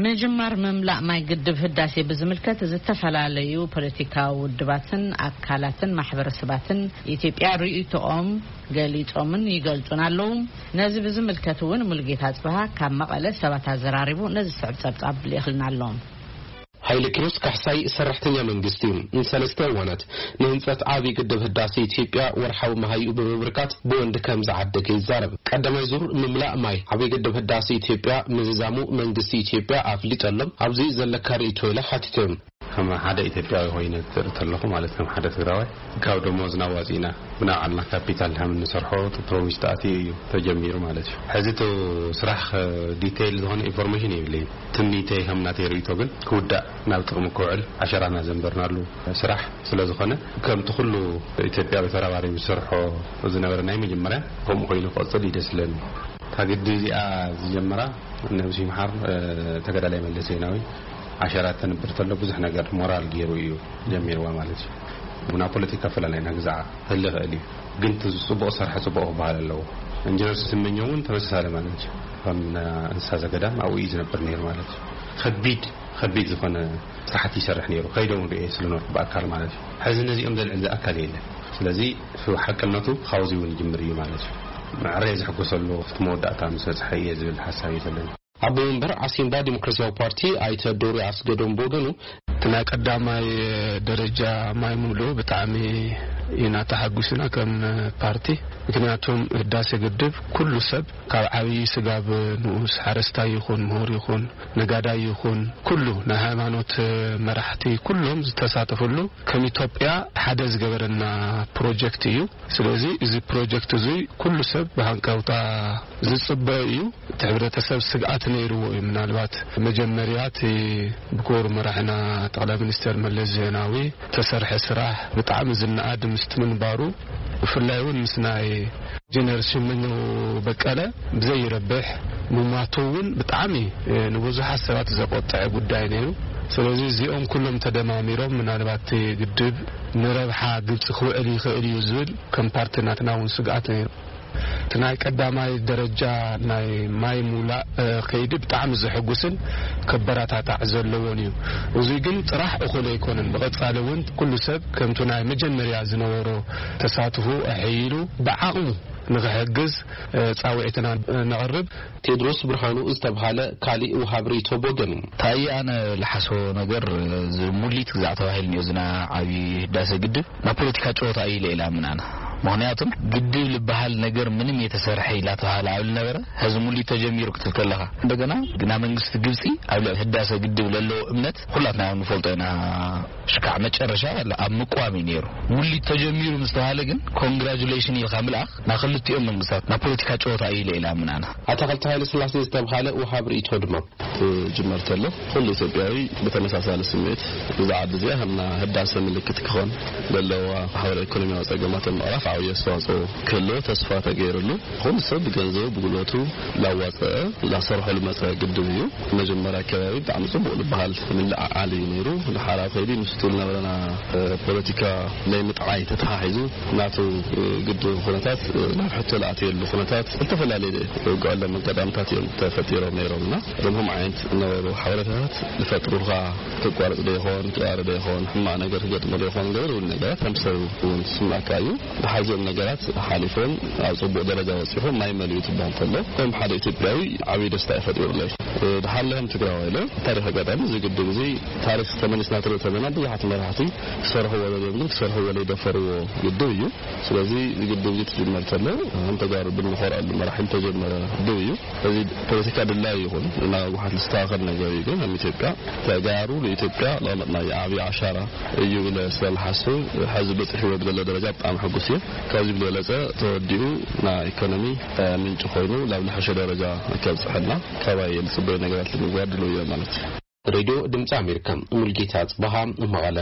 ምጅማር ምምላእ ማይ ግድብ ህዳሴ ብዝምልከት ዝተፈላለዩ ፖለቲካዊ ውድባትን ኣካላትን ማሕበረሰባትን ኢትዮጵያ ርእይቶኦም ገሊጾምን ይገልጹን ኣለዉ። ነዚ ብዝምልከት እውን ሙሉጌታ ጽብሃ ካብ መቐለ ሰባት ኣዘራሪቡ ነዚ ዝስዕብ ጸብጻብ ልኢኽልና ኣሎ። ሃይለ ኪሮስ ካሕሳይ ሰራሕተኛ መንግስቲ እዩ። ንሰለስተ እዋናት ንህንፀት ዓብዪ ግድብ ህዳሴ ኢትዮጵያ ወርሓዊ መሃይኡ ብምብርካት ብወንድ ከም ዝዓደገ ይዛረብ። ቀዳማይ ዙር ምምላእ ማይ ዓብዪ ግድብ ህዳሴ ኢትዮጵያ ምዝዛሙ መንግስቲ ኢትዮጵያ ኣፍሊጠሎም። ኣብዚ ዘለካ ርእይቶ ኢለ ሓቲቶም። ከም ሓደ ኢትዮጵያዊ ኮይነ ትርኢ ተለኹ፣ ማለት ከም ሓደ ትግራዋይ፣ ካብ ደሞዝና ኣዋፂእና ብናይ ባዕልና ካፒታል ከም እንሰርሖ ፕሮሚስ ተኣትዩ እዩ ተጀሚሩ ማለት እዩ። ሕዚ እቲ ስራሕ ዲቴይል ዝኾነ ኢንፎርሜሽን የብለይን። ትምኒተይ ከም ናተይ ርእይቶ ግን ክውዳእ፣ ናብ ጥቕሚ ክውዕል ዓሸራና ዘንበርናሉ ስራሕ ስለ ዝኾነ፣ ከምቲ ኩሉ ኢትዮጵያዊ ተረባሪቡ ዝሰርሖ ዝነበረ ናይ መጀመርያ ከምኡ ኮይኑ ክቕፅል እዩ ደስ ዝለኒ። እታ ግድብ እዚኣ ዝጀመራ ነብሲ ይምሓር፣ እ፣ ተጋዳላይ መለስ ዜናዊ ዓሸራ ተንብር ተሎ ብዙሕ ነገር ሞራል ገይሩ እዩ ጀሚርዋ ማለት እዩ። ብና ፖለቲካ ኣፈላላይና ግዛዕ ህሊ ይኽእል እዩ፣ ግን እቲ ጽቡቕ ዝሰርሐ ጽቡቕ ክበሃል ኣለዎ። ኢንጂነር ስመኘው እውን ተመሳሳሊ ማለት እዩ። ከም እንስሳ ዘገዳም ኣብኡ እዩ ዝነብር ነይሩ ማለት እዩ። ከቢድ ከቢድ ዝኾነ ስራሕቲ ይሰርሕ ነይሩ፣ ከይዶም ርእየ ስለነበርኩ ብኣካል ማለት እዩ። ሕዚ ነዚኦም ዘልዕል ኣካል የለን። ስለዚ ሓቅነቱ ካብዚ እውን ይጅምር እዩ ማለት እዩ። መዕረየ ዝሕጎሰሉ እቲ መወዳእታ ምስ በፅሐ እየ ዝብል ሓሳብ እዩ ዘለኒ። ኣቦ መንበር ዓሲምባ ዲሞክራሲያዊ ፓርቲ ኣይተ ዶሪ ኣስገዶም ብወገኑ፣ እቲ ናይ ቀዳማይ ደረጃ ማይ ምሉእ ብጣዕሚ ኢና ተሓጒስና ከም ፓርቲ። ምክንያቱም ህዳሴ ግድብ ኩሉ ሰብ፣ ካብ ዓብዪ ስጋብ ንኡስ፣ ሓረስታይ ይኹን፣ ምሁር ይኹን፣ ነጋዳይ ይኹን፣ ኩሉ ናይ ሃይማኖት መራሕቲ ኩሎም ዝተሳተፍሉ፣ ከም ኢትዮጵያ ሓደ ዝገበረና ፕሮጀክት እዩ። ስለዚ እዚ ፕሮጀክት እዚ ኩሉ ሰብ ብሃንቀውታ ዝጽበዮ እዩ። እቲ ሕብረተሰብ ስግኣት ነይርዎ እዩ። ምናልባት መጀመርያ እቲ ብክቡር መራሕና ጠቕላይ ሚኒስተር መለስ ዜናዊ ተሰርሐ ስራሕ ብጣዕሚ ዝነኣድ ምስቲ ምንባሩ፣ ብፍላይ እውን ምስ ናይ ኢንጂነር ስመኘው በቀለ ብዘይረብሕ ምሟቱ እውን ብጣዕሚ፣ እ፣ ንብዙሓት ሰባት ዘቆጥዐ ጉዳይ ነይሩ። ስለዚ እዚኦም ኩሎም ተደማሚሮም ምናልባት እቲ ግድብ ንረብሓ ግብፂ ክውዕል ይኽእል እዩ ዝብል ከም ፓርቲ ናትና እውን ስግኣት ነይሩ። እቲ ናይ ቀዳማይ ደረጃ ናይ ማይ ሙላእ፣ እ፣ ከይዲ ብጣዕሚ ዘሐጉስን ከበረታታዕ ዘለዎን እዩ። እዚ ግን ጥራሕ እኹል ኣይኮነን። ብቐጻሊ እውን ኩሉ ሰብ ከምቲ ናይ መጀመርያ ዝነበሮ ተሳትፎ ኣሐይሉ ብዓቕሙ ንኽሕግዝ፣ እ፣ ጻውዒትና ነቕርብ። ቴድሮስ ብርሃኑ ዝተብሃለ ካሊእ ወሃብ ርእይቶ ብወገኑ፣ እንታይ ኣነ ልሓስቦ ነገር፣ እዚ ሙሊት ግዛዕ ተባሂሉ እኒኦ፣ እዚ ናይ ዓብዪ ህዳሴ ግድብ ናብ ፖለቲካ ጨወታ እዩ ኢለ ኢለ ኣምን ኣነ። ምኽንያቱም ግድብ ልበሃል ነገር ምንም የተሰርሐ ኢላ ተባሃለ ኣብ ልነበረ፣ ሕዚ ሙሊት ተጀሚሩ ክትብል ከለኻ፣ እንደገና ግና መንግስቲ ግብፂ ኣብ ልዕሊ ህዳሰ ግድብ ለለዎ እምነት ኩላትና ንፈልጦ ኢና። ሽካዕ መጨረሻ ኣብ ምቋም እዩ ነይሩ። ሙሊት ተጀሚሩ ምስ ተባሃለ ግን ኮንግራጁሌሽን ኢልካ ምልኣኽ ናብ ክልቲኦም መንግስታት ናብ ፖለቲካ ጨወታ እዩ ኢለ ኢለ ኣምን ኣነ። ኣታኽልቲ ሃይለ ስላሴ ዝተብሃለ ወሃብ ርእይቶ ድማ፣ ትጅመር ተሎ፣ ኩሉ ኢትዮጵያዊ ብተመሳሳሊ ስምዒት፣ እዛ ዓዲ እዚኣ ከም ህዳሰ ምልክት ክኾን ዘለዋ ማሕበራዊ ኢኮኖሚያዊ ጸገማት ምቕራፍ ዓብዪ ኣስተዋጽኦ ክህልዎ ተስፋ ተገይሩሉ፣ ኩሉ ሰብ ብገንዘቡ ብጉልበቱ ላዋፀአ ላሰርሖ ልመፀ ግድብ እዩ። መጀመርያ ኣከባቢ ብጣዕሚ ጽቡቕ ዝበሃል ምልዕዓል እዩ ነይሩ። ድሓር ኣብ ከይዲ ምስቲ ዝነበረና፣ እ፣ ፖለቲካ ናይ ምጥዓይ ተተሓሒዙ ናቱ፣ እ፣ ግድብ ኩነታት፣ እ፣ ናብ ሕቶ ዝኣተየሉ ኩነታት ዝተፈላለየ ውግኣሎም ኣጋጣሚታት እዮም ተፈጢሮም ነይሮም እና እዞም ከምኡ ዓይነት ዝነበሩ ሓበሬታታት ዝፈጥሩልካ ክቋረጽ ዶ ይኾን፣ ክቐሪ ዶ ይኾን፣ ሕማቕ ነገር ክገጥሞ ዶ ይኾን፣ ገለ እውን ነገራት ከም ሰብ እውን ዝስምዓካ እዩ። ድሓር እዚኦም ነገራት ሓሊፎም ኣብ ጽቡቕ ደረጃ በጺሑ ማይ መሊኡ ትበሃል ከሎ ከም ሓደ ኢትዮጵያዊ ዓብዪ ደስታ እዩ ፈጢሩለይ። እ፣ ድሓር ለህም ትግራዋይ ኢለ ታሪኽ ኣጋጣሚ እዚ ግድብ እዚ ታሪኽ ተመሊስና ትርኢ ተለና ብዙሓት መራሕቲ ክሰርሕዎ ደልዮም ግን ክሰርሕዎ ለይደፈርዎ ግድብ እዩ። ስለዚ እዚ ግድብ እዚ ትጅመር ተሎ ከም ተጋሩ ብንኾርዐሉ መራሕቲ ዝተጀመረ ግድብ እዩ። እዚ ፖለቲካ ድላይ ይኹን እና ህወሓት ዝስተኻኸል ነገር እዩ። ግን ከም ኢትዮጵያ ተጋሩ ንኢትዮጵያ ለቐመጥናዮ ዓብዪ ዓሻራ እዩ ኢለ ስለ ዝሓስብ፣ ሕዚ በፂሕዎ ብዘሎ ደረጃ ብጣዕሚ ሕጉስ እየ። ካብዚ ብዝበለፀ ተወዲኡ ናይ ኢኮኖሚ፣ እ፣ ምንጪ ኮይኑ ናብ ዝሐሸ ደረጃ ከብፅሐልና ካባይ ዝፅበዩ ነገራት ንምግባር ድልው እየ ማለት እዩ። ሬድዮ ድምፂ ኣሜሪካ፣ ሙልጌታ ጽበሃ፣ መቐለ።